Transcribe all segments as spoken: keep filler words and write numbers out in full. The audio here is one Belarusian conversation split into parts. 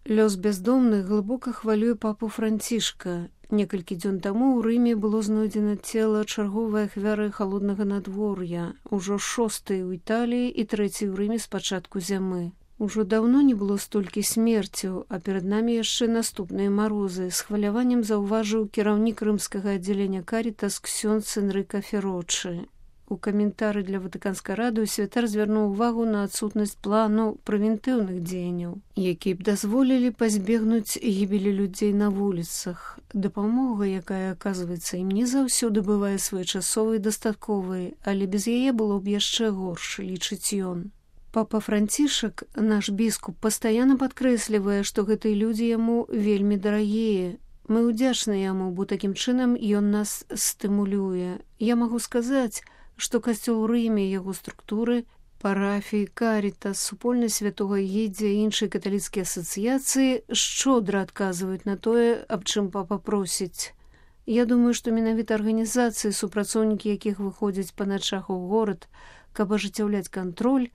Лёс бяздомных глыбока хвалюе папу Францішка. Некалькі дзён таму ў Рыме было знойдзена цела чарговай ахвяры халоднага надвор'я, ужо шостай у Італіі і трэцяй у Рыме з пачатку зямы. Ужо даўно не было столькі смерцяў, а перад намі яшчэ наступныя марозы. З хваляваннем заўважыў кіраўнік рымскага аддзялення Карітас ксёндз Энрыка Ферочы. У каментары для Ватыканскай рады святар звярнуў увагу на адсутнасць плану прэвентыўных дзеянняў, якія б дазволілі пазбегнуць гібелі людзей на вуліцах. Дапамога, якая, аказваецца, ім не заўсёды бывае своечасовай і дастатковай, але без яе было б яшчэ горш, лічыць ён. Папа Францішак, наш біскуп, пастаянна падкрэслівае, што гэтыя людзі яму вельмі дарагія. Мы ўдзячныя яму, бо такім чынам ён нас стымулюе. Я магу сказаць, што касцёл у Рыме, яго структуры, парафіі, Карітас, супольнасць святога Егідзя і іншыя каталіцкія асацыяцыі шчодра адказваюць на тое, аб чым папа просіць. Я думаю, што менавіта арганізацыі, супрацоўнікі якіх выходзяць па начах у горад, каб ажыццяўляць кантроль,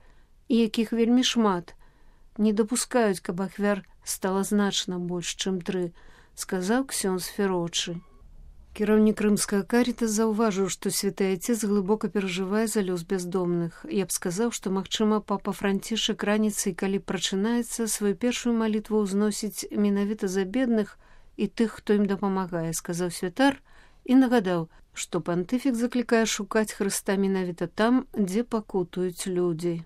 і якіх вельмі шмат, не дапускаюць, каб ахвяр стала значна больш, чым тры, сказаў ксёндз Ферочы. Кіраўнік рымскага Карітас заўважыў, што святы айцец глыбока перажывае за лёс бяздомных. Я б сказаў, што, магчыма, папа Францішак раніцай, калі прачынаецца, сваю першую малітву ўзносіць менавіта за бедных і тых, хто ім дапамагае, сказаў святар і нагадаў, што пантыфік заклікае шукаць Хрыста менавіта там, дзе пакутуюць людзі.